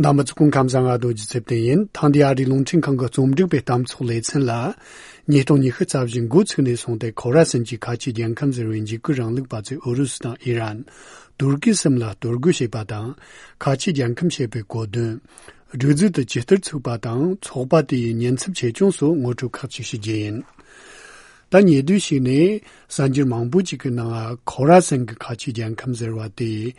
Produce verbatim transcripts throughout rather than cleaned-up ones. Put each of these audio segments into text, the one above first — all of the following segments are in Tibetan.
རྣམ་པ་ཚོ་སྐུ་ཁམས་བཟང་། ང་རྡོ་རྗེ་ཚེ་བརྟན་ཡིན། ཐེངས་འདིའི་ཨ་རིའི་རླུང་འཕྲིན་ཁང་གི་རྩོམ་སྒྲིག་པའི་གཏམ་ཚོགས་ལེ་ཚན་ལ། ཉིས་སྟོང་ཉི་ཤུ་རྩ་བཞི་འགོ་ཚུགས་ནས་བཟུང་སྟེ་ཁོ་ར་སན་གྱི་ཁ་ཆེའི་རྒྱལ་ཁམས་ཟེར་བའི་འཇིགས་སྐུལ་རིང་ལུགས་པ་ཚོས་ཨུ་རུ་སུ་དང་ཨི་རན། ཏུར་ཀི་གསུམ་ལ་གཏོར་རྒོལ་བྱས་པ་དང་། ཁ་ཆེའི་རྒྱལ་ཁམས་ཞེས་པའི་གོ་དོན། སྒྲིག་འཛུགས་དེ་ཇི་ལྟར་ཚུགས་པ་དང་ཚོགས་པ་དེ་ཡི་ཉེན་ཚབས་ཆེ་ཆུང་སོགས་ངོ་སྤྲོད་ཁག་ཅིག་ཞུ་རྒྱུ་ཡིན། ད་ཉེ་དུས་ཤིག་ནས་གསར་འགྱུར་མང་པོ་ཅིག་གི་ནང་ཁོ་ར་སན་གྱི་ཁ་ཆེའི་རྒྱལ་ཁམས་ཟེར་བ་དེ།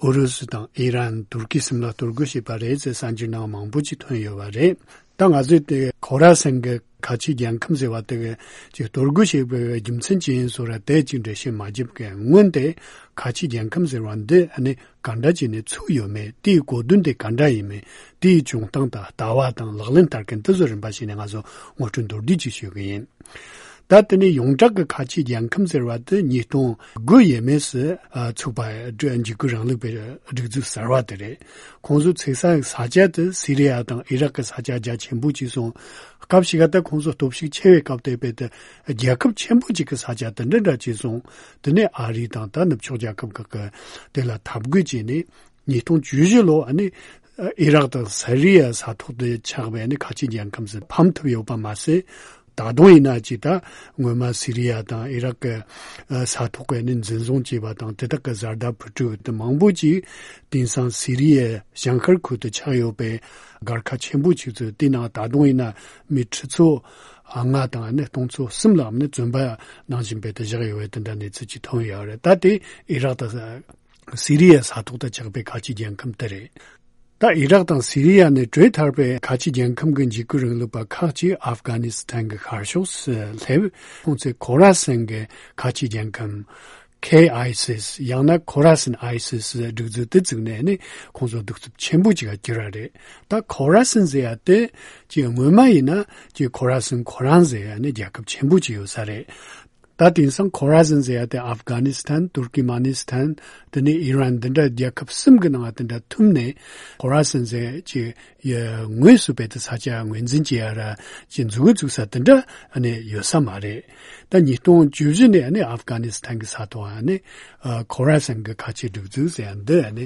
ཨུ་རུ་སུ་དང་ཨི་རན། ཏུར་ཀི་གསུམ་ལ་གཏོར་རྒོལ་བྱས་པ་རེད་ཟེར་གསར་འགྱུར་ནང་མང་པོ་ཅིག་ཐོན་ཡོད་པ་རེད། ད་ང་ཚོས་དེ་ཁོ་ར་སན་གྱི་ཁ་ཆེའི་རྒྱལ་ཁམས་ཟེར་བ་དེ་གི་ཅིག་གཏོར་རྒོལ་བྱས་པའི་རྒྱུ་མཚན་ཅི་ཡིན་སོགས་ར་དེ་ཅིག་འགྲེལ་བཤད་མ་བརྒྱབ་གི། སྔོན་དེ་ཁ་ཆེའི་རྒྱལ་ཁམས་ཟེར་བ་འདི་ཨ་ནི་ག་འདྲ་བྱས་ནས་ཚུགས་ཡོད་མེད། དེའི་གོ་དོན་དེ་ག་འདྲ་ཡིན་མིན། དེའི་བྱུང་སྟངས་དང་ལྟ་བ་དང་ལག་ལེན་བསྟར་མཁན་དེ་ཚོ་རིམ་པ་བྱས་ནས་ང་ཚོ་ངོ་སྤྲོད་མདོར་བསྡུས་ཅིག་ཞུ་གི་ཡིན། ད་དེ་ནས་ཡོངས་གྲགས་ཀྱི་ཁ་ཆེའི་རྒྱལ་ཁམས་ཟེར་བ་དེ་ཉིས་སྟོང་དགུ་ཡས་མས་སུ་ཨ་ཚུགས་པ། འཇིགས་སྐུལ་རིང་ལུགས་པའི་སྒྲིག་འཛུགས་གསར་བ་དེ་རེད། ཁོང་ཚོ་ཚུགས་ས་ས་ཆ་དེ་སི་རི་ཡ་དང་ཨི་རག་གི་ས་ཆ་རྒྱ་ཆེན་པོ་ཅིག་སོང་། སྐབས་ཤིག་ད་ཁོང་ཚོ་སྟོབས་ཤུགས་ཆེ་བའི་སྐབས་དེ་བས་དེ་རྒྱལ་ཁབ་ཆེན་པོ་ཅིག་གི་ས་ཆ་དེ་འདྲ་འདྲ་ཅིག་སོང་། དེ་ནས་ཨ་རི་དང་ད་ནུབ་ཕྱོགས་རྒྱལ་ཁབ་ཁག་གི་དེ་ལ་འཐབ་རྒོལ་བྱས་ནས། ཉིས་སྟོང་བཅུ་བཞི་ལོ་ཨ་ནི་ཨི་རག་དང་སི་རི་ཡ་ས་ཐོག་ཏུ་ཆགས་པའི་ཨ་ནི་ཁ་ཆེའི་རྒྱལ་ཁམས་སུ་ཕམ་ཐུབ་ཡོད་པ་མ་ཟད། ད་དུང་ཡིན་ན་ཅིག་ད་སྔོན་མ་སི་རི་ཡ་དང་ཨི་རག་གི་ས་ཐོག་གི་ཨ་ནི་འཛིན་བཟུང་བྱས་པ་དང་དེ་དག་གི་བཟའ་ཟླ་བུ་ཕྲུག་དེ་མང་པོ་ཅིག་དེང་སང་སི་རི་ཡའི་བྱང་ཤར་ཁུལ་དུ་ཆགས་ཡོད་པའི་སྒར་ཁ་ཆེན་པོ་ཅིག་ཚོ་དེ་ནང་ད་དུང་ཡིན་ན་མི་ཁྲི་ཚོ་ལྔ་དང་ཨ་ནི་སྟོང་ཚོ་གསུམ་ལ་ཨ་ནི་བཙོན་པ་ནང་བཞིན་པའི་དེ་བཞག་ཡོད་པའི་དེ་འདྲ་གནས་ཚུལ་ཅིག་ཐོན་ཡོད་རེད། ད་དེ་ཨི་རག་དང་སི་རི་ཡའི་ས་ཐོག་ཏུ་ཆགས་པའི་ཁ་ཆེའི་རྒྱལ་ཁམས་དེ་རེད། ད་ཨི་རག་དང་སི་རི་ཡ་ནས་བྲོས་ཐར་པའི་ཁ་ཆེའི་རྒྱལ་ཁམས་ཀྱི་འཇིགས་སྐུལ་རིང་ལུགས་པ་ཁག་ཅིག་ཨབ་གྷ་ནི་སི་ཐན་གྱི་ཤར་ཕྱོགས་སུ་སླེབས། ཁོང་ཚོས་ཁོ་ར་སན་གྱི་ཁ་ཆེའི་རྒྱལ་ཁམས་ཁེ་ཨའི་སི་ཡང་ན་ཁོ་ར་སན་ཨའི་སི་ཟེར་སྒྲིག་འཛུགས་དེ་བཙུགས་ནས་ནི་ཁོང་ཚོ་གདུག་རྩུབ་ཆེན་པོ་ཅིག་ག་གྱུར་བ་རེད། ད་ཁོ་ར་སན་ཟེར་ཡ་དེ་ཅིག་སྔོན་མ་ཡིན་ན་ཅིག་ཁོ་ར་སན་ཁོ་རང་ཟེར་ཡ་ནི་རྒྱལ་ཁབ་ཆེན་པོ་ཅིག་ཡོད་ས་རེད། ད་དེང་སང་ཁོ་ར་སན་ཟེར་ཡ་དེ་ཨབ་གྷ་ནི་སི་ཐན། ཏུར་ཀི་མ་ནི་སི་ཐན། དེ་ནས་ཨི་རན། འདི་འདྲ་རྒྱལ་ཁབ་གསུམ་གྱི་ནང་དེ་འདྲ་ཐུམ་ནས་ཁོ་ར་སན་ཟེར་ཅིག་ཡ་ངོས་སུ་བེད་དེ་ས་ཆ་ངོས་འཛིན་བྱེད་ཡ་ར་ཅིག་འཛུགས་འཛུགས་ས་དེ་འདྲ་ཨ་ནི་ཡོད་ས་མ་རེད། ད་ཉིས་སྟོང་བཅུ་བཞི་ནས་ཨ་ནི་ཨབ་གྷ་ནི་སི་ཐན་གྱི་ས་ཐོག་ཨ་ནི་ཁོ་ར་སན་གྱི་ཁ་ཆེའི་སྒྲིག་འཛུགས་ཟེར་ཡ་འདི་ཨ་ནི་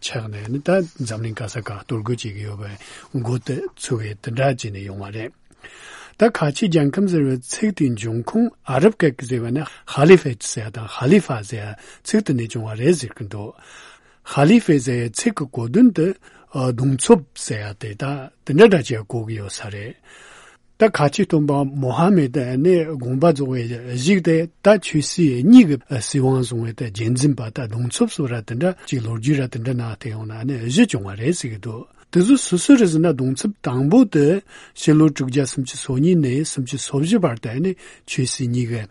ཆགས་ནས་ཨ་ནི་ད་འཛམ་གླིང་ག་ས་ག་གཏོར་རྒོལ་བྱེད་ཀྱི་ཡོད་པའི་འགོ་དེ་ཚུགས་པའི་དེ་འདྲ་བྱས་ནས་ཡོང་བ་རེད། ད་ཁ་ཆེའི་རྒྱལ་ཁམས་ཟེར་བའི་ཚིག་དེའི་འབྱུང་ཁུངས་ཨ་རབ་སྐད་ཀྱི་ཟེར་བ་ནི་ཧ་ལི་ཕེ་ཏི་ཟེར་ཡ་དང་ཧ་ལི་ཕ་ཟེར་ཡ་ཚིག་དེ་ནས་བྱུང་བ་རེད་ཟེར་གྱི་འདུག་ཧ་ལི་ཕེ་ཟེར་ཡའི་ཚིག་གི་གོ་དོན་དེ་ཨ་གདུང་འཚོབ་ཟེར་ཡ་དེ་ད་དེ་འདྲ་འདྲ་ཅིག་གོ་གི་ཡོད་ས་རེད། ད་ཁ་ཆེའི་སྟོན་པ་མོ་ཧ་མེད་ནི་དགོངས་པ་རྫོགས་པའི་གཞུག་དེ་ད་ཆོས་སྲིད་གཉིས་ཀྱི་སྲིད་དབང་བཟུང་བའི་ད་རྒྱལ་འཛིན་པ་ད་གདུང་འཚོབ་སོགས་ར་དེ་འདྲ་ཅིག་ལོ་རྒྱུས་ར་དེ་འདྲ་ནང་བལྟས་ཡོང་ན་ནི་བཞི་བྱུང་བ་རེད་ཟེར་གྱི་འདུག་དེ་ཚོ་སོ་སོ་རེ་ཟེར་ན་གདུང་འཚོབ་དང་པོ་དེ་ཕྱི་ལོ་དྲུག་བརྒྱ་སུམ་ཅུ་སོ་གཉིས་ནས་སུམ་ཅུ་སོ་བཞི་བར་དུ་ནི་ཆོས་སྲིད་གཉིས་ཀྱི་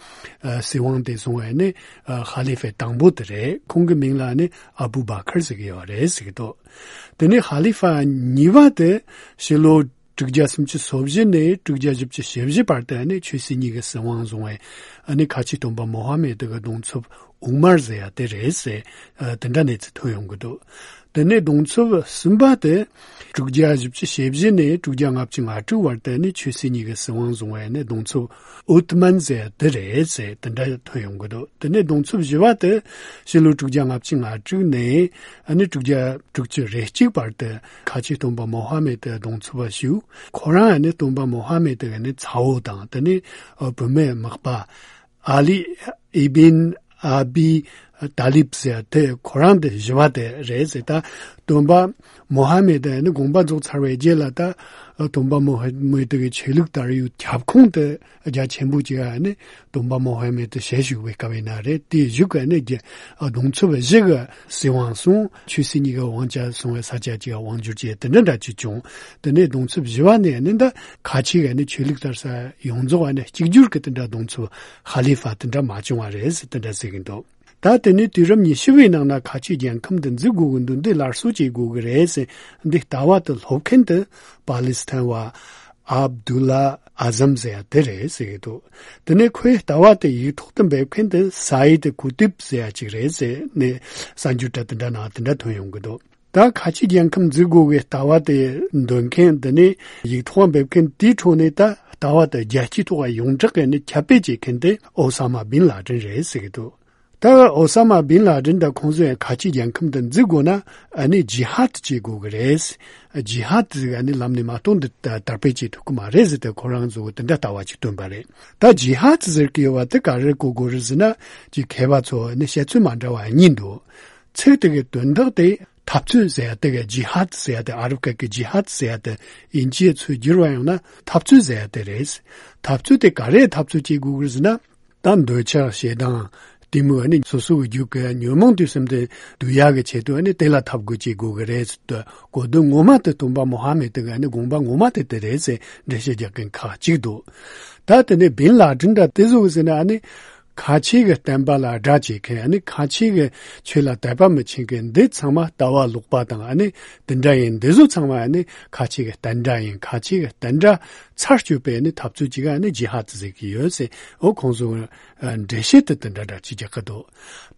ཨ་སྲིད་དབང་དེ་བཟུང་བའི་ནི་ཨ་ཧ་ལི་ཕེ་དང་པོ་དེ་རེད། ཁོང་གི་མིང་ལ་ནི་ཨ་བུ་བ་ཁར་ཟེར་གྱི་ཡོད་རེད་ཟེར་གྱི་འདུག་དེ་ནས་ཧ་ལི་ཕ་གཉིས་པ་དེ་ཕྱི་ལོ་དྲུག་བརྒྱ་སུམ་ཅུ་སོ་བཞི་ནས་དྲུག་བརྒྱ་བཞི་བཅུ་ཞེ་བཞི་བར་དུ་ནི་ཆོས་སྲིད་གཉིས་ཀྱི་སྲིད་དབང་བཟུང་བའི་ཨ་ནི་ཁ་ཆེའི་སྟོན་པ་མོ་ཧ་མེད་དེ་གི་གདུང་འཚོབ་ཨུ་མར་ཟེར་ཡ་དེ་རེད་ཟེར། ཨ་དེ་འདྲ་གནས་ཚུལ་ཐོན་ཡོང་གི་འདུག་དེ་ནས་གདུང་འཚོབ་གསུམ་པ་དེ་དྲུག་བརྒྱ་བཞི་བཅུ་ཞེ་བཞི་ནས་དྲུག་བརྒྱ་ལྔ་བཅུ་ང་དྲུག་བར་དུ་ནི་ཆོས་སྲིད་གཉིས་ཀྱི་སྲིད་དབང་བཟུང་བའི་ནི་གདུང་འཚོབ་ཨུ་ཏི་མན་ཟེར་ཡ་དེ་རེད་ཟེར་དེ་འདྲ་ཐོན་ཡོང་གི་འདུག་དེ་ནས་གདུང་འཚོབ་བཞི་པ་དེ་ཕྱི་ལོ་དྲུག་བརྒྱ་ལྔ་བཅུ་ང་དྲུག་ནས་ཨ་ནི་དྲུག་བརྒྱ་དྲུག་ཅུ་རེ་གཅིག་བར་དུ་ཁ་ཆེའི་སྟོན་པ་མོ་ཧ་མེད་དེ་གདུང་འཚོབ་པ་ཞུ། ཁོ་རང་ཨ་ནི་སྟོན་པ་མོ་ཧ་མེད་དེ་ནི་ཚ་བོ་དང་དེ་ནས་བུད་མེད་མག་པ་ཨ་ལི་ཨི་བིན་ཨ་བི་ཏཱ་ལིབ་ཟེར་དེ་ཁོ་རང་དེ་བཞི་པ་དེ་རེད་ཟེར། ད་སྟོན་པ་མོ་ཧ་མེད་དེ་ནི་དགོངས་པ་རྫོགས་ཚར་བའི་རྗེས་ལ་ད་སྟོན་པ་མོ་ཧ་མེད་དེ་གི་ཆོས་ལུགས་དར་ཡུལ་ཁྱབ་ཁོངས་དེ་རྒྱ་ཆེན་པོ་ཅིག་ཨ་ནི་སྟོན་པ་མོ་ཧ་མེད་དེ་ཞལ་བཞུགས་པའི་སྐབས་ཡིན་ན་རེད། དེའི་གཞུག་གི་ཨ་ནི་རྒྱ་གདུང་འཚོབ་བཞི་གི་སྲིད་དབང་སོང་། ཆོས་སྲིད་གཉིས་ཀྱི་དབང་ཆ་སོང་བའི་ས་ཆ་གཅིག་དབང་བསྒྱུར་བྱས་དེ་འདྲ་འདྲ་ཅིག་བྱུང་། དེ་ནས་གདུང་འཚོབ་བཞི་པ་ནས་ནི་ད་ཁ་ཆེ་གི་ནི་ཆོས་ལུགས་དར་ས་ཡོངས་རྫོགས་ནི་གཅིག་གྱུར་གྱི་དེ་འདྲ་གདུང་འཚོབ་ཧ་ལི་ཕ་དེ་འདྲ་མ་བྱུང་བ་རེད་ཟེར་དེ་འདྲ་ཟེར་གྱི་འདུག་ད་དེ་ནས་དུས་རབས་ཉི་ཤུ་བའི་ནང་ན་ཁ་ཆེ་རྒྱལ་ཁམས་འདི་འཛུགས་དགོས་ཀྱི་འདུག་འདི་སླར་གསོ་བྱེད་དགོས་ཀྱི་རེད་ཟེར་འདི་ལྟ་བ་དེ་སློབ་མཁན་དེ་པ་ལི་སི་ཐན་བ་ཨབ་དུ་ལ་ཨ་ཟམ་ཟེར་ཡ་དེ་རེད་ཟེར་གྱི་འདུག་དེ་ནས་ཁོའི་ལྟ་བ་དེ་ཡིག་ཐོག་ཏུ་འབེབས་མཁན་དེ་སཱ་ཡིད་ཀུ་ཏིབ་ཟེར་ཡ་ཅིག་རེད་ཟེར་ནས་གསར་འགྱུར་འདྲ་དེ་འདྲ་ནང་དེ་འདྲ་ཐོན་ཡོང་གི་འདུག་ད་ཁ་ཆེ་རྒྱལ་ཁམས་འཛུགས་དགོས་པའི་ལྟ་བ་དེ་འདོན་མཁན་དེ་ནས་ཡིག་ཐོག་འབེབས་མཁན་དེའི་ཁྲོད་ནས་ད་ལྟ་བ་དེ་རྒྱལ་སྤྱིའི་ཐོག་ཡོངས་གྲགས་ཀྱི་ནས་ཁྱབ་སྤེལ་བྱེད་མཁན་དེ་ཨོ་ས་མ་བིན་ལ་ཏིན་རེད་ཟེར་གྱི་འདུག་ད་ཨོ་ས་མ་བིན་ལ་ཌིན་དང་ཁོང་ཚོ་ཡང་ཁ་ཆེ་རྒྱལ་ཁམས་དེ་འཛུགས་དགོས་ན་ཨ་ནི་ཇི་ཧཱད་བྱེད་དགོས་ཀྱི་རེད། ཇི་ཧཱད་ཟེར་ཨ་ནི་ལམ་ནས་མ་གཏོགས་འདི་ད་དར་སྤེལ་བྱེད་ཐུབ་ཀྱི་མ་རེད་ཟེར་ཏེ་ཁོ་རང་ཚོ་གི་དེ་འདྲ་ལྟ་བ་ཅིག་བཏོན་པ་རེད། ད་ཇི་ཧཱད་ཟེར་གྱི་ཡོད་པ་དེ་ག་རེ་གོ་དགོས་རེད་ཟེར་ན་ཅིག་མཁས་པ་ཚོ་ཨ་ནི་བཤད་ཚུལ་མ་འདྲ་བ་གཉིས་འདུག་ཚིག་དེ་གི་དོན་དག་དེ་འཐབ་རྩོད་ཟེར་ཡ་དེ་གི་ཇི་ཧཱད་ཟེར་ཡ་དེ་ཨ་རབ་སྐད་ཀྱི་ཇི་ཧཱད་ཟེར་ཡ་དེ་དབྱིན་ཇིའི་ཚུལ་བསྒྱུར་བ་ཡོང་ན་འཐབ་རྩོད་ཟེར་ཡ་དེ་རེད། འཐབ་རྩོད་དེ་ག་རེ་འཐབ་རྩོད་བྱེད་དགོས་ཀྱི་རེད་ཟེར་ན། ད་འདོད་ཆགས་ཞེ་སྡང་གཏི་མུག་ཨ་ནི་སོ་སོ་གི་རྒྱུད་ཀྱི་ཉོན་མོངས་དུས་གསུམ་དེ་བསྡུ་ཡག་གི་ཆེད་དུ་ཨ་ནི་དེ་ལ་འཐབ་རྒོལ་བྱེད་དགོས་ཀྱི་རེད་ཟེར་དུས་གོ་དོན་ངོ་མ་དེ་སྟོན་པ་མོ་ཧ་མེད་དེ་གི་ཨ་ནི་དགོངས་པ་ངོ་མ་དེ་དེ་རེད་ཟེར་འགྲེལ་བཤད་རྒྱག་མཁན་ཁག་ཅིག་འདུག་ད་དེ་ནས་བིན་ལ་ཌིན་འདྲ་དེ་ཚོ་གི་ཟེར་ན་ཨ་ནི་ཁ་ཆེ་གི་བསྟན་པ་ལ་དགྲ་བྱེད་མཁན་ཨ་ནི་ཁ་ཆེ་གི་ཆོས་ལ་དད་པ་མི་བྱེད་མཁན་འདི་ཚང་མ་ལྟ་བ་ལོག་པ་དང་ཨ་ནི་དེ་འདྲ་ཡིན། འདི་ཚོ་ཚང་མ་ཨ་ནི་ཁ་ཆེ་གི་བསྟན་དགྲ་ཡིན། ཁ་ཆེ་གི་བསྟན་དགྲ་ཚར་གཅོད་པའི་ནི་འཐབ་རྩོད་ཅིག་ཨ་ནི་ཇི་ཧཱད་ཟེར་གྱི་ཡོད་ཟེར། འོ་ཁོང་ཚོ་འགྲེལ་བཤད་དེ་དེ་འདྲ་འདྲ་ཅིག་རྒྱག་གི་འདུག་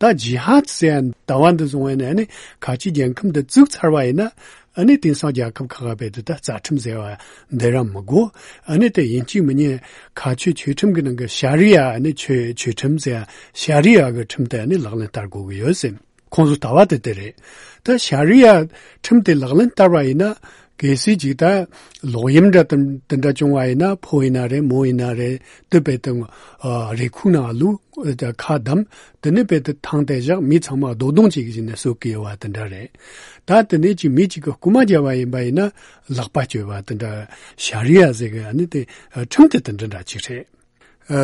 ད་ཇི་ཧཱད་ཟེར་ཡ་ལྟ་བ་འདི་བཟུང་བས་ནི་ཨ་ནི་ཁ་ཆེ་རྒྱལ་ཁམས་འདི་བཙུགས་ཚར་བ་ཡིན་ན་ཨ་ནི་དེང་སང་རྒྱལ་ཁབ་ཁག་ཁག་བས་དེ་ད་རྩ་ཁྲིམས་ཟེར་བ་འདི་རང་མི་དགོས། ཨ་ནི་དེ་ཡིན་གཅིག་མིན་གཉིས་ཁ་ཆོས་ཆོས་ཁྲིམས་ཀྱི་ནང་གི་ཤ་རི་ཡ་ཨ་ནི་ཆོས་ཆོས་ཁྲིམས་ཟེར་ཡ་ཤ་རི་ཡ་གི་ཁྲིམས་དེ་ཨ་ནི་ལག་ལེན་བསྟར་དགོས་ཀྱི་ཡོད་ཟེར། ཁོང་ཚོ་ལྟ་བ་དེ་དེ་རེད། ད་ཤ་རི་ཡ་ཁྲིམས་དེ་ལག་ལེན་བསྟར་བ་ཡིན་ན་གལ་སྲིད་ཅིག་ད་ལོག་གཡེམ་འདྲ་དེ་འདྲ་བྱུང་བ་ཡིན་ན་ཕོ་ཡིན་ན་རེད་མོ་ཡིན་ན་རེད་དེ་བས་ཏེ་རེ་ཁུག་ནང་བླུགས་ཁ་བསྡམས་དེ་ནས་བས་ཏེ་ཐང་དེ་བཞག་མི་ཚང་མ་རྡོག་རྡོག་ཅིག་བྱས་ནས་གསོད་ཀྱི་ཡོད་པ་དེ་འདྲ་རེད། ད་དེ་ནས་ཅིག་མི་གཅིག་གི་རྐུ་མ་བརྒྱབ་པ་ཡིན་པ་ཡིན་ན་ལག་པ་གཅོད་པ་དེ་འདྲ་ཤ་རི་ཡ་ཟེར་གི་ཨ་ནི་དེ་ཁྲིམས་དེ་དེ་འདྲ་འདྲ་ཅིག་རེད།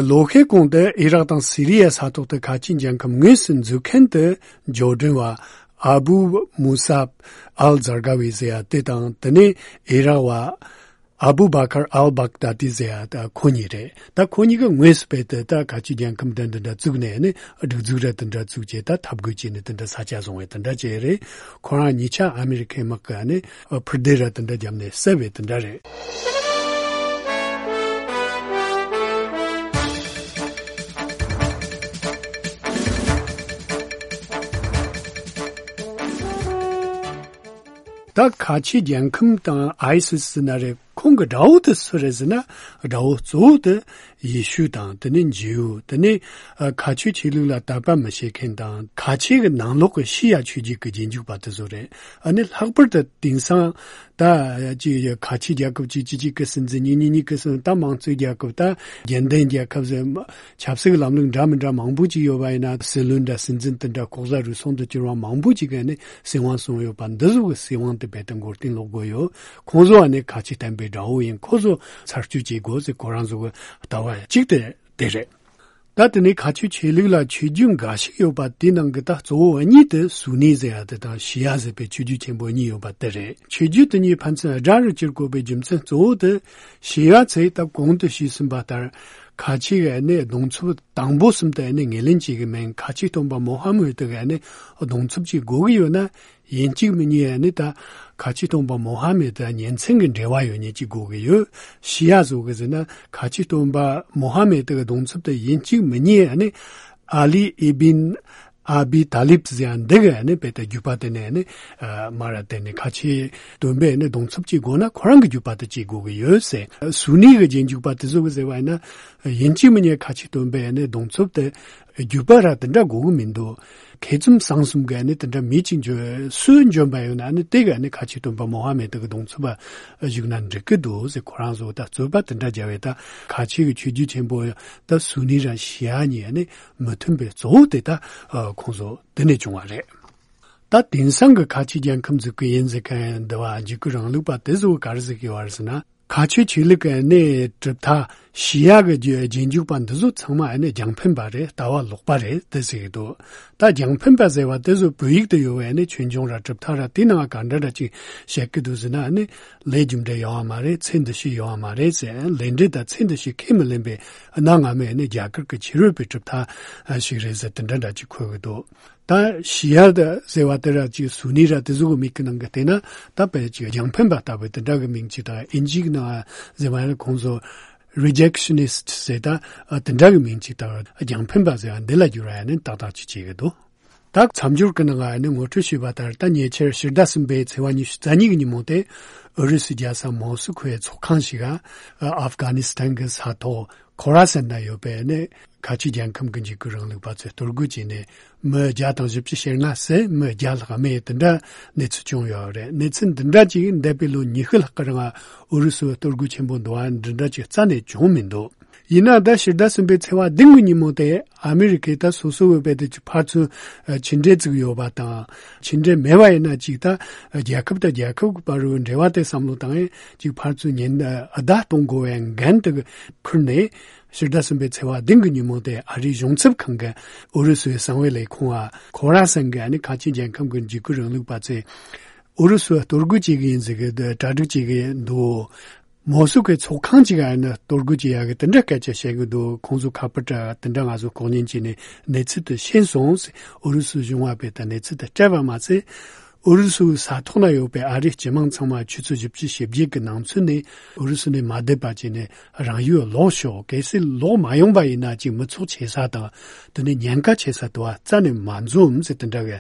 ལོ་ཤས་གོང་དུ་ཨི་རག་དང་སི་རི་ཡའི་ས་ཐོག་ཏུ་ཁ་ཆེ་རྒྱལ་ཁམས་དངོས་སུ་འཛུགས་མཁན་དུ་འབྱོར་འབྲིང་བ་ཨ་བུ་མུ་ས་ཨལ་ཛར་ག་ཝི་ཟེར་ཡ་དེ་དང་དེ་ནས་ཨི་རག་བ་ཨ་བུ་བ་ཁར་ཨལ་བག་དཱ་ཏི་ཟེར་ཡ་ད་ཁོ་གཉིས་རེད། ད་ཁོ་གཉིས་ཀྱིས་དངོས་སུ་བས་ཏེ་ད་ཁ་ཆེ་རྒྱལ་ཁམས་དེ་འདི་འདྲ་བཙུགས་ནས་ནི་སྒྲིག་འཛུགས་ར་དེ་འདྲ་བཙུགས་བྱས་ད་འཐབ་རྒོལ་བྱས་ནས་དེ་འདྲ་ས་ཆ་བཟུང་བས་དེ་འདྲ་བྱས་རེད། ཁོ་རང་གཉིས་ཆ་ཨ་མི་རི་ཁའི་དམག་གིས་ནི་ཕུར་སྡེ་ར་དེ་འདྲ་བརྒྱབ་ནས་བསད་པས་དེ་འདྲ་རེད། ད་ཁ་ཆེ་རྒྱལ་ཁམས་དང་ཨའི་སི་སི་ན་རེ་ཁོང་གི་དགྲ་བོ་དེ་སུ་རེད་ཟེར་ན་དགྲ་བོ་གཙོ་བོ་དེ་ཡེ་ཤུ་དང་དེ་ནས་ཇིའུ་དེ་ནས་ཁ་ཆོས་ཆོས་ལུགས་ལ་དད་པ་མི་བྱེད་མཁན་དང་ཁ་ཆེ་གི་ནང་ལོགས་ཀྱི་ཤི་ཡ་ཆོས་བརྒྱུད་ཀྱི་རྗེས་འཇུག་པ་དེ་ཚོ་རེད། ཨ་ནི་ལྷག་པར་དུ་དེང་སང་ད་ཅི་ཡ་ཁ་ཆེ་རྒྱལ་ཁབ་ཅིག་ཅིག་ཅིག་གི་སྲིད་འཛིན་གཉིས་གཉིས་གཉིས་ཀྱི་སྲིད་འཛིན་ད་དམངས་གཙོའི་རྒྱལ་ཁབ་ད་རྒྱལ་ལྡན་རྒྱལ་ཁབ་ཟེར་ཆབ་སྲིད་ཀྱི་ལམ་ལུགས་འདྲ་མི་འདྲ་མང་པོ་ཅིག་ཡོད་པ་ཡིན་ན་སྲིད་བློན་འདྲ་སྲིད་འཛིན་དེ་འདྲ་ལྐོག་ཟ་རུལ་སུངས་དུ་གྱུར་བ་མང་པོ་ཅིག་གིས་ནི་སྲིད་དབང་བཟུང་ཡོད་པ་འདི་ཚོ་གི་སྲིད་དབང་དེ་རྦད་དེ་མགོ་རྟིང་སློག་དགོས་ཡོད། ཁོང་ཚོ་ཨ་ནི་ཁ་ཆེ་བསྟན་པའི་དགྲ་བོ་ཡིན། ཁོ་ཚོ་ཚར་གཅོད་བྱེད་དགོས་ཟེར་ཁོ་རང་ཚོ་གི་ལྟ་བ་གཅིག་དེ་དེ་རེད། ད་དེ་ནས་ཁ་ཆོས་ཆོས་ལུགས་ལ་ཆོས་བརྒྱུད་འགའ་ཞིག་ཡོད་པ་དེའི་ནང་གི་ད་གཙོ་བོ་གཉིས་དེ་སུ་ནི་ཟེར་ཡ་དེ་དང་ཤི་ཡ་ཟེར་བའི་ཆོས་བརྒྱུད་ཆེན་པོ་གཉིས་ཡོད་པ་དེ་རེད། ཆོས་བརྒྱུད་དེ་གཉིས་ཕན་ཚུན་དགྲ་རུ་གྱུར་དགོས་པའི་རྒྱུ་མཚན་གཙོ་བོ་དེ་ཤི་ཡ་ཚོས་ད་གོང་དུ་ཞུས་ཟིན་པ་ལྟར་ཁ་ཆེ་གི་ནི་གདུང་འཚོབ་དང་པོ་གསུམ་དུ་ནི་ངོས་ལེན་བྱེད་ཀྱི་མིན། ཁ་ཆེ་སྟོན་པ་མོ་ཧ་མུ་ཏི་གི་ནི་གདུང་འཚོབ་ཅིག་དགོས་ཀྱི་ཡོད་ན། ཡིན་གཅིག་མིན་གཉིས་ནི་ད་ཁ་ཆེ་སྟོན་པ་མོ་ཧ་མེད་དང་ཉིན་མཚན་གྱི་འབྲེལ་བ་ཡོད་མཁན་ཅིག་དགོས་ཀྱི་ཡོད། ཤི་ཡ་བཟོ་གི་ཟེར་ན་ཁ་ཆེ་སྟོན་པ་མོ་ཧ་མེད་དེ་གི་གདུང་འཚོབ་དེ་ཡིན་གཅིག་མིན་གཉིས་ནི་ཨ་ལི་ཨི་བིན་ཨ་བི་ཏཱ་ལིབ་ཟེར་ཡ་འདི་གི་ནི་བས་ད་རྒྱུད་པ་དེ་ནས་ནི་མ་ར་དེ་ནི་ཁ་ཆེ་སྟོན་པའི་ནི་གདུང་འཚོབ་ཅིག་དགོས་ན་ཁོ་རང་གི་རྒྱུད་པ་དེ་ཅིག་དགོས་ཀྱི་ཡོད་ཟེར། སུ་ནི་གི་རྗེས་འཇུག་པ་དེ་ཚོ་གི་ཟེར་བ་ཡིན་ན་ཡིན་གཅིག་མིན་གཉིས་ཁ་ཆེ་སྟོན་པའི་ནི་གདུང་འཚོབ་དེ་རྒྱུད་པ་ར་དེ་འདྲ་དགོས་ཀྱི་མི་འདུག་མཁས་བཙུན་གསང་གསུམ་གྱི་ནི་དེ་འདྲ་མི་གཅིག་འཇོན་སུ་འཇོན་པ་ཡོད་ན་ནི་དེ་ག་ནི་ཁ་ཆེ་སྟོན་པ་མོ་ཧ་མེད་དེ་གི་གདུང་འཚོབ་པ་བཞུགས་ན་འགྲིག་གི་འདུག་ཟེར། ཁོ་རང་ཚོ་ད་རྩོད་པ་དེ་འདྲ་བརྒྱབ་པས་ད་ཁ་ཆེ་གི་ཆོས་བརྒྱུད་ཆེན་པོ་ད་སུ་ནི་ར་ཤི་ཡ་གཉིས་ནི་མི་མཐུན་པའི་གཙོ་བོ་དེ་ད་ཁོང་ཚོ་དེ་ནས་བྱུང་བ་རེད། ད་དེང་སང་གི་ཁ་ཆེ་རྒྱལ་ཁམས་འཛུགས་ཀྱི་ཡིན་ཟེར་མཁན་འདི་བ་འཇིགས་སྐུལ་རིང་ལུགས་པ་དེ་ཚོ་ག་རེ་ཟེར་གི་ཡོད་རེད་ཟེར་ན། ཁ་ཆོས་ཆོས་ལུགས་ཀྱི་གནས་གྲུབ་མཐའ་ཤི་ཡ་གི་རྗེས་རྗེས་འཇུག་པ་འདི་ཚོ་ཚང་མ་ཨ་ནི་རྒྱང་འཕེན་པ་རེད། ལྟ་བ་ལོག་པ་རེད་དེ་ཟེར་གི་འདུག་ད་རྒྱང་འཕེན་པ་ཟེར་བ་དེ་ཚོ་བོད་ཡིག་ཏུ་ཡོད་པའི་ཨ་ནི་ཆོས་འབྱུང་ར་གྲུབ་མཐའ་ར་དེ་ནང་ག་འདྲ་འདྲ་ཅིག་བཤད་གི་འདུག་ཟེར་ན་ཨ་ནི་ལས་རྒྱུ་འབྲས་ཡོད་པ་མ་རེད། ཚེ་འདི་ཕྱི་ཡོད་པ་མ་རེད་ཟེར། ལས་འབྲས་དང་ཚེ་འདི་ཕྱི་ཁས་མི་ལེན་པའི་གནའ་སྔ་མོའི་ཨ་ནི་རྒྱ་གར་གྱི་ཕྱི་རོལ་པའི་གྲུབ་མཐའ་ཞིག་རེད་ཟེར་དེ་འདྲ་འདྲ་ཅིག་འཁོད་གི་འདུག་ད་ཤི་ཡ་ཟེར་བ་དེ་ར་ཅིག་སུ་ནི་ར་དེ་ཚོ་གི་མིང་གི་ནང་གི་བལྟས་ན་ད་དཔེ་ཅིག་རྒྱང་འཕེན་པ་ལྟ་བུའི་དེ་འདྲ་གི་མིང་ཅིག་དང་ཨིན་ཇི་གི་ནང་ཟེར་བ་ཡང་ཁོང་ཚོ་རི་ཇེག་ཤི་ནིསྟ་ཟེར་ད་དེ་འདྲ་གི་མིང་ཅིག་དང་རྒྱང་འཕེན་པ་ཟེར་བ་འདི་ལ་བསྒྱུར་བ་ཡང་ནི་ཏག་ཏག་ཅིག་བྱེད་གི་འདུག་ད་མཚམས་སྦྱོར་གི་ནང་ནི་ངོ་སྤྲོད་ཞུས་པ་ལྟར་ད་ཉེ་ཆར་ཕྱི་ཟླ་གསུམ་པའི་ཚེས་པ་ཉི་ཤུ་རྩ་གཉིས་ཀྱི་ཉིན་མོ་དེ་ཨུ་རུ་སུའི་རྒྱལ་ས་མོ་སི་ཁོའི་ཚོགས་ཁང་ཞིག་ག་ཨབ་གྷ་ནི་སི་ཐན་གྱི་ས་ཐོག་ཁོ་ར་སན་ན་ཡོད་པའི་ནི་ཁ་ཆེ་རྒྱལ་ཁམས་ཀྱི་འཇིགས་སྐུལ་རིང་ལུགས་པ་ཚོས་གཏོར་རྒོལ་བྱས་ནས་མི་བརྒྱ་དང་བཞི་བཅུ་ཞེ་ལྔ་བསད། མི་བརྒྱ་ལྷག་རྨས། དེ་འདྲ་གནས་ཚུལ་བྱུང་ཡོད་རེད། གནས་ཚུལ་འདི་འདྲ་ཅིག་འདས་པའི་ལོ་ཉི་ཤུ་ལྷག་གི་རིང་ཨུ་རུ་སུའི་གཏོར་རྒོལ་ཆེན་པོ་འདུག་བ། འདི་འདྲ་ཅིག་རྩ་ནས་བྱུང་མི་འདུག་ཡིན་ན་ད་ཕྱི་ཟླ་གསུམ་པའི་ཚེས་པ་བདུན་གྱི་ཉིན་མོ་དེ་ཨ་མི་རི་ཀས་ད་སོ་སོ་བོད་པའི་དེ་ཕར་ཚུར་ཕྱི་འབྲེལ་བཙུགས་ཡོད་པ་དང་། ཕྱི་འབྲེལ་མེད་པ་ཡིན་ན་ཅིག་ད་རྒྱལ་ཁབ་དང་རྒྱལ་ཁབ་ཀྱི་བར་རུ་འབྲེལ་བ་དེ་བསམ་བློ་བཏང་ཡས་ཅིག་ཕར་ཚུར་ཉེན་བརྡ་གཏོང་དགོས་པའི་འགན་དེ་ཁུར་ནས། ཕྱི་ཟླ་གསུམ་པའི་ཚེས་པ་བདུན་གྱི་ཉིན་མོ་དེ་ཨ་རིའི་གཞུང་ཚབ་ཁང་གི་ཨུ་རུ་སུའི་གསང་བའི་ལས་ཁུངས་ཨ་ཁོ་ར་སན་གྱི་ཨ་ནི་ཁ་ཆེ་རྒྱལ་ཁམས་ཀྱི་འཇིགས་སྐུལ་རིང་ལུགས་པ་ཚོས་ཨུ་རུ་སུ་གཏོར་རྒོལ་བྱེད་ཀྱི་ཡིན་ཟེར་གྱི་འདུག་གྲ་སྒྲིག་བྱེད་ཀྱི་འདུག་མོ་སུ་ཁོའི་ཚོགས་ཁང་གཅིག་ཨ་ནི་གཏོར་རྒོལ་བྱེད་ཡག་གི་དེ་འདྲ་སྐད་ཆ་བཤད་ཀྱི་འདུག་ཁོང་ཚོ་ཁ་པར་དེ་འདྲ་ང་ཚོ་ལྐོག་ཉན་བྱས་ནས་གནས་ཚུལ་དེ་ཤེས་སོང་ཟེར། ཨུ་རུ་སུ་གཞུང་བ་པས་ད་གནས་ཚུལ་དེ་སྤྲད་པ་མ་ཟད། ཨུ་རུ་སུའི་ས་ཐོག་ན་ཡོད་པའི་ཨ་རིའི་སྤྱི་དམངས་ཚང་མ་ཆུ་ཚོད་བཞི་བཅུ་ཞེ་བརྒྱད་ཀྱི་ནང་ཚུད་ནས་ཨུ་རུ་སུ་ནས་མ་བསྡད་པ་བྱས་ནས་རང་ཡུལ་ལོག་ཤོག་གལ་སྲིད་ལོག་མ་ཡོང་པ་ཡིན་ན་ཅིག་མི་ཚོགས་ཆེ་ས་དང་དེ་ནས་ཉེན་ཁ་ཆེ་ས་དུ་བ་རྩ་ནས་མ་འཛོམས་ཟེར་དེ་འདྲ་གི་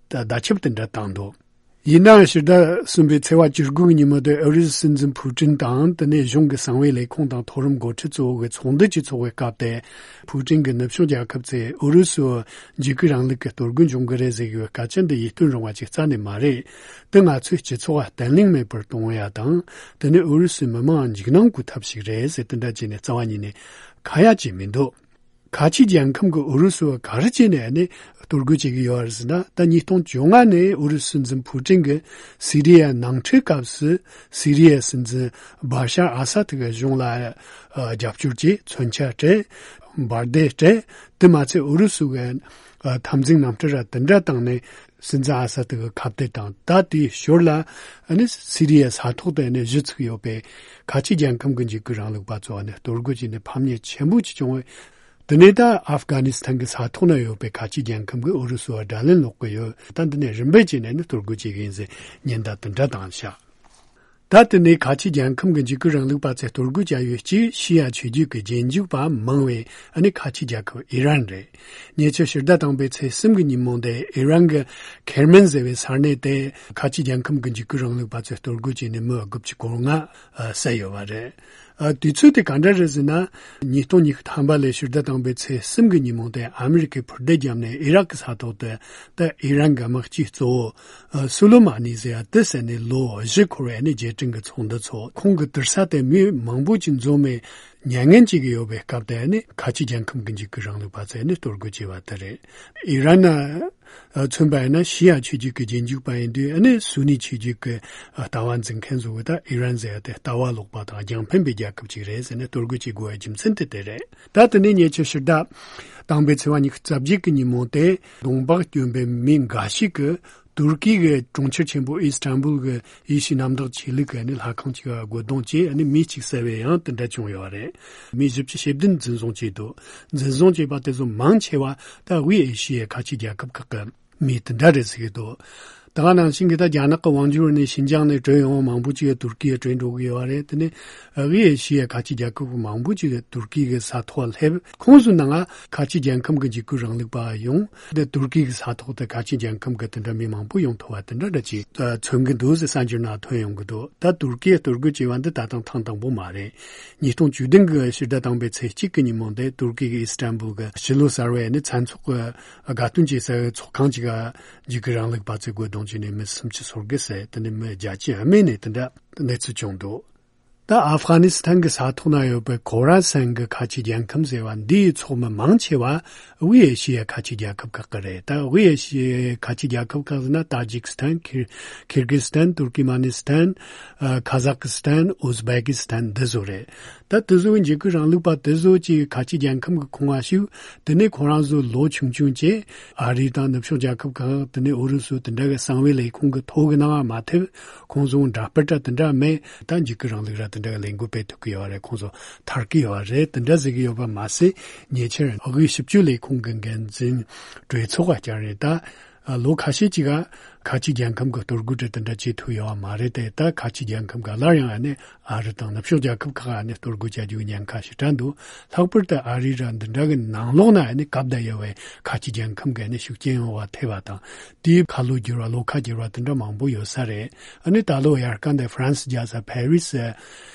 བརྡ་ཁྱབ་དེ་འདྲ་བཏང་འདུག་ཡིན་ནའང་ཕྱི་ཟླ་གསུམ་པའི་ཚེས་པ་བཅུ་དགུ་གི་ཉིན་མོ་དེ་ཨུ་རུ་སུའི་སྲིད་འཛིན་ཕུ་ཀྲིན་དང་དེ་ནས་གཞུང་གི་གསང་བའི་ལས་ཁུངས་དང་མཐོ་རིམ་འགོ་ཁྲིད་གཙོ་བོ་གི་ཚོགས་འདུ་ཅིག་ཚོགས་པའི་སྐབས་དེ། ཕུ་ཀྲིན་གྱི་ནུབ་ཕྱོགས་རྒྱལ་ཁབ་ཚོས་ཨུ་རུ་སུའི་འཇིགས་སྐུལ་རིང་ལུགས་ཀྱི་གཏོར་རྒོལ་འབྱུང་གི་རེད་ཟེར་གྱི་ཡོད་སྐད་ཆ་འདི་ཡིད་རྟོན་རུང་བ་ཅིག་རྩ་ནས་མ་རེད། དེ་ང་ཚོའི་སྤྱི་ཚོགས་ལ་བརྟན་ལྷིང་མེད་པར་གཏོང་ཡ་དང་། དེ་ནས་ཨུ་རུ་སུའི་མི་མང་འཇིགས་སྣང་སྐུལ་ཐབས་ཤིག་རེད་ཟེར་དེ་འདྲ་བྱས་ནས་རྩ་བ་ཉིད་ནས་ཁ་ཡ་བྱས་མི་འདུག་ཁ་ཆེ་རྒྱལ་ཁམས་ཀྱི་ཨུ་རུ་སུ་བ་ག་རེ་བྱས་ནས་ནི་གཏོར་རྒོལ་བྱེད་ཀྱི་ཡོད་རེད་ཟེར་ན། ད་ཉིས་སྟོང་བཅོ་ལྔ་ནས་ཨུ་རུ་སུ་སྲིད་འཛིན་ཕུ་ཀྲིན་གྱིས་སི་རི་ཡའི་ནང་འཁྲུག་སྐབས་སུ་སི་རི་ཡའི་སྲིད་འཛིན་བྷ་ཤར་ཨ་སཱད་ཀྱི་གཞུང་ལ་ཨ་རྒྱབ་སྐྱོར་གྱིས་མཚོན་ཆ་སྤྲད། འབར་མདེལ་སྤྲད། དེ་མ་ཚད་ཨུ་རུ་སུ་གི་ཨ་འཐབ་འཛིང་རྣམ་གྲངས་ར་དེ་འདྲ་བཏང་ནས་སྲིད་འཛིན་ཨ་སཱད་ཀྱི་ཁ་གཏད་དང་། ད་དེའི་ཞོར་ལ་ཨ་ནི་སི་རི་ཡའི་ས་ཐོག་ཏུ་ཨ་ནི་གཞི་ཚུགས་ཡོད་པའི་ཁ་ཆེ་རྒྱལ་ཁམས་ཀྱི་འཇིགས་སྐུལ་རིང་ལུགས་པ་ཚོ་ཨ་ནི་གཏོར་རྒོལ་བྱས་ནས་ཕམ་ཉེས་ཆེན་པོ་ཅིག་བྱུང་བས། དེ་ནས་ད་ཨབ་གྷ་ནི་སི་ཐན་གྱི་ས་ཐོག་ན་ཡོད་པའི་ཁ་ཆེ་རྒྱལ་ཁམས་ཀྱིས་ཨུ་རུ་སུ་བ་དགྲ་ལན་སློག་གི་ཡོད། ད་འདི་ནས་རིམ་པས་བྱས་ནས་ནི་གཏོར་རྒོལ་བྱེད་ཀྱི་ཡིན་ཟེར་ཉེན་བརྡ་དེ་འདྲ་བཏང་ཤག་ད་དེ་ནས་ཁ་ཆེ་རྒྱལ་ཁམས་ཀྱི་འཇིགས་སྐུལ་རིང་ལུགས་པ་ཚོས་གཏོར་རྒོལ་བྱ་ཡུལ་གཅིག་ཤི་ཡ་ཆོས་བརྒྱུད་ཀྱི་རྗེས་འཇུག་པ་མང་བའི་ཨ་ནི་ཁ་ཆེ་རྒྱལ་ཁབ་ཨི་རན་རེད། ཉེ་ཆར་ཕྱི་ཟླ་དང་པོའི་ཚེས་གསུམ་གྱི་ཉིན་མོ་དེ་ཨི་རན་གྱི་ཁེར་མན་ཟེར་བའི་ས་གནས་དེ་ཁ་ཆེ་རྒྱལ་ཁམས་ཀྱི་འཇིགས་སྐུལ་རིང་ལུགས་པ་ཚོས་གཏོར་རྒོལ་བྱས་ནས་མི་དགུ་བཅུ་གོ་ལྔ་བསད་ཡོད་པ་རེད། ཨ། དུས་ཚོད་དེ་ག་འདྲ་རེད་ཟེར་ན། ཉིས་སྟོང་ཉི་ཤུ་ཐམ་པ་ལོའི་ཕྱི་ཟླ་དང་པོའི་ཚེས་གསུམ་གྱི་ཉིན་མོ་དེ་ཨ་མི་རི་ཀས་འཕུར་མདེལ་བརྒྱབ་ནས་ཨི་རག་གི་ས་ཐོག་ཏུ་ད་ཨི་རན་གྱི་དམག་སྤྱི་གཙོ་བོ་ཨ་སུ་ལེ་མ་ནི་ཟེར་ཡ་དེ་བསད་ནས་ལོ་བཞི་འཁོར་བའི་ནི་རྗེས་དྲན་གྱི་ཚོགས་འདུ་ཚོགས། ཁོང་གི་དུར་ས་དེ་མི་མང་པོ་ཅིག་འཛོམས་ནས་མྱ་ངན་བྱེད་ཀྱི་ཡོད་པའི་སྐབས་དེ་ནི་ཁ་ཆེ་རྒྱལ་ཁམས་ཀྱི་འཇིགས་སྐུལ་རིང་ལུགས་པ་ཚོས་ནི་གཏོར་རྒོལ་བྱས་པ་དེ་རེད། ཨི་རན་ན། མཚོན་པ་ཡིན་ན་ཤི་ཡ་ཆོས་བརྒྱུད་ཀྱི་རྗེས་འཇུག་པ་ཡིན་དུས་ཨ་ནི་སུ་ནི་ཆོས་བརྒྱུད་ཀྱི་ལྟ་བ་འཛིན་མཁན་ཚོ་གི་ད་ཨི་རན་ཟེར་ཡ་དེ་ལྟ་བ་ལོག་པ་དང་རྒྱང་འཕེན་པའི་རྒྱལ་ཁབ་ཅིག་རེད་ཟེར་ནས་གཏོར་རྒོལ་བྱེད་དགོས་པའི་རྒྱུ་མཚན་དེ་དེ་རེད། ད་དེ་ནས་ཉེ་ཆར་ཕྱི་ཟླ་དང་པོའི་ཚེས་པ་ཉི་ཤུ་རྩ་བརྒྱད་ཀྱི་ཉིན་མོ་དེ་གདོང་འབག་གྱོན་པའི་མི་འགའ་ཞིག་གིས་ཏུར་ཀི་གི་གྲོང་ཁྱེར་ཆེན་པོ་ཨི་སི་ཐན་བུལ་གྱི་ཡེ་ཤུའི་གནམ་བདག་ཆོས་ལུགས་ཀྱི་ནི་ལྷ་ཁང་ཅིག་ལ་རྒོལ་རྡུང་བྱས་ནི་མི་གཅིག་བསད་པའི་ཡང་དེ་འདྲ་བྱུང་ཡོད་རེད། མི་བཞི་བཅུ་ཞེ་བདུན་འཛིན་བཟུང་བྱས་འདུག་འཛིན་བཟུང་བྱས་པ་དེ་ཚོ་མང་ཆེ་བ་ད་དབུས་ཨེ་ཤི་ཡའི་ཁ་ཆེ་རྒྱལ་ཁབ་ཁག་གི་མི་དེ་འདྲ་རེད་ཟེར་གྱི་འདུག་ད་ག་ནང་བཞིན་གྱི་ད་རྒྱ་ནག་གི་དབང་སྒྱུར་ནས་ཤིན་ཅང་ནས་བྲོས་ཡོང་བ་མང་པོ་ཅིག་ཏུར་ཀི་ཡར་བྲོས་འགྲོ་གི་ཡོད་རེད། དེ་ནས་དབུས་ཨེ་ཤི་ཡའི་ཁ་ཆེ་རྒྱལ་ཁབ་མང་པོ་ཅིག་ཏུར་ཀི་གི་ས་ཐོག་སླེབས། ཁོང་ཚོའི་ནང་ཁ་ཆེ་རྒྱལ་ཁམས་ཀྱི་འཇིགས་སྐུལ་རིང་ལུགས་པ་ཡོང་། དེ་ཏུར་ཀི་གི་ས་ཐོག་ཏུ་ཁ་ཆེ་རྒྱལ་ཁམས་ཀྱི་དེ་འདྲ་མི་མང་པོ་ཡོང་ཐུབ་པ་དེ་འདྲ་འདྲ་ཅིག་མཚོན་གྱི་འདུག་ཟེར་གསར་འགྱུར་ནང་ཐོན་ཡོང་གི་འདུག་ད་ཏུར་ཀི་གཏོར་རྒོལ་བྱས་པ་འདི་ད་ཐེངས་དང་པོ་མ་རེད། ཉིས་སྟོང་བཅུ་བདུན་གྱི་ཕྱི་ཟླ་དང་པོའི་ཚེས་གཅིག་གི་ཉིན་མོ་དེ་ཏུར་ཀི་གི་ཨི་སི་ཐན་བུལ་གྱི་ཕྱི་ལོ་གསར་བའི་ནི་མཚན་ཚོགས་ཀྱི་དགའ་སྟོན་བྱེད་སའི་ཚོགས་ཁང་ཅིག་ག་འཇིགས་སྐུལ་རིང་ལུགས་པ་ཚོས་རྒོལ་རྡུང་བྱས་ནས་མི་སུམ་ཅུ་སོ་དགུ་བསད། དེ་ནས་མི་བརྒྱད་ཅུ་རྨས་ནས་དེ་འདྲ་གནས་ཚུལ་བྱུང་འདུག་ད་ཨབ་གྷ་ནི་སི་ཐན་གྱི་ས་ཐོག་ན་ཡོད་པའི་ཁོ་ར་སན་གྱི་ཁ་ཆེ་རྒྱལ་ཁམས་ཟེར་བ་འདིའི་ཚོགས་མི་མང་ཆེ་བ་དབུས་ཨེ་ཤི་ཡའི་ཁ་ཆེ་རྒྱལ་ཁབ་ཁག་གི་རེད། ད་དབུས་ཨེ་ཤི་ཡའི་ཁ་ཆེ་རྒྱལ་ཁབ་ཁག་ཟེར་ན་ཏཱ་ཇིག་སི་ཐན། ཁིར་ཁིར་གི་སི་ཐན། ཏུར་ཀི་མ་ནི་སི་ཐན། ཨ་ཁ་ཟག་སི་ཐན། ཨུ་ཛི་བེ་ཀི་སི་ཐན། འདི་ཚོ་རེད། ད་དེ་ཚོའི་འཇིགས་སྐུལ་རིང་ལུགས་པ་དེ་ཚོ་ཅིག་ཁ་ཆེ་རྒྱལ་ཁམས་ཀྱི་ཁོངས་ང་ཞུགས། དེ་ནས་ཁོ་རང་ཚོ་ལོ་ཆུང་ཆུང་བྱས། ཨ་རི་དང་ནུབ་ཕྱོགས་རྒྱལ་ཁབ་ཁག་དེ་ནས་ཨུ་རུ་སུ་དེ་འདྲ་གི་གསང་བའི་ལས་ཁུངས་ཀྱི་ཐོ་གི་ནང་མ་ཐེབས། ཁོང་ཚོ་འདྲ་དཔེ་འདྲ་དེ་འདྲ་མེད། ད་འཇིགས་སྐུལ་རིང་ལུགས་ར་དེ་འདྲ་གི་ལས་འགུལ་སྤེལ་ཐུབ་ཀྱི་ཡོད་རེད། ཁོང་ཚོ་ཐར་གྱི་ཡོད་རེད། དེ་འདྲ་ཟེར་གྱི་ཡོད་པ་མ་ཟད། ཉེ་ཆར་དབུས་ཞིབ་དཔྱོད་ལས་ཁུངས་ཀྱི་འགན་འཛིན་གྲོས་ཚོགས་ཀ་བསྐྱངས་རེད། ད་ལོ་ཁ་ཤས་ཅིག་ག་ ཁ་ཆེ་རྒྱལ་ཁབ་ཀྱི་གཏོར་རྒོལ་དེ་དེ་འདྲ་བྱེད་ཐུབ་ཡོད་པ་མ་རེད་དེ། ད་ཁ་ཆེ་རྒྱལ་ཁབ་ཀྱི་སླར་ཡང་ཨ་ནི་ཨ་རི་དང་ནུབ་ཕྱོགས་རྒྱལ་ཁབ་ཁག་ཨ་ནི་གཏོར་རྒོལ་བྱ་རྒྱུའི་ཉེན་ཁ་ཞེ་དྲག་འདུག་ལྷག་པར་དུ་ཨ་རི་ར་འདི་འདྲ་གི་ནང་ལོགས་ན་ཨ་ནི་གབ་བསྡད་ཡོད་པའི་ཁ་ཆེ་རྒྱལ་ཁབ་ཀྱི་ཨ་ནི་ཤུགས་རྐྱེན་ཡོད་པ་ཐེབས་པ་དང་། དེའི་ཁ་ལོ་བསྒྱུར་བ་ལོ་ཁ་བསྒྱུར་བ་དེ་འདྲ་མང་པོ་ཡོད་ས་རེད། ཨ་ནི་ད་ལོ་དབྱར་ཁ་འདི་ཧྥ་རན་སི་རྒྱལ་ས་ཕ་རི་སི་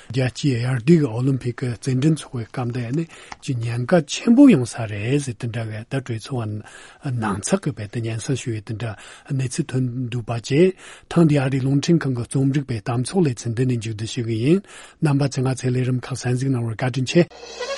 རྒྱལ་སྤྱིའི་དབྱར་དུས་ཀྱི་ཨོ་ལིམ་ཕིག་གི་རྩེད་འགྲན་ཚོགས་པའི་སྐབས་འདི་ཨ་ནི་ཅིག་ཉེན་ཁ་ཆེན་པོ་ཡོང་ས་རེད་ཟེར་དེ་འདྲ་གི་ད་གྲོས་ཚོགས་ནང་ཚགས་ཀྱི་བེད་དེ་སྙན་སེང་ཞུ་ཡི་དེ་འདྲ་གནས་ཚུལ་ཐོན་འདུག་པ་བཅས། ཐེངས་འདིའི་ཨ་རིའི་རླུང་འཕྲིན་ཁང་གི་རྩོམ་སྒྲིག་པའི་གཏམ་ཚོགས་ལེ་ཚན་འདི་ནས་མཇུག་བསྡུ་ཞུ་གི་ཡིན། རྣམ་པ་ཚོས་ང་ཚོའི་ལས་རིམ་ཁག་གསན་གཟིགས་གནང་བར་བཀའ་དྲིན་ཆེ།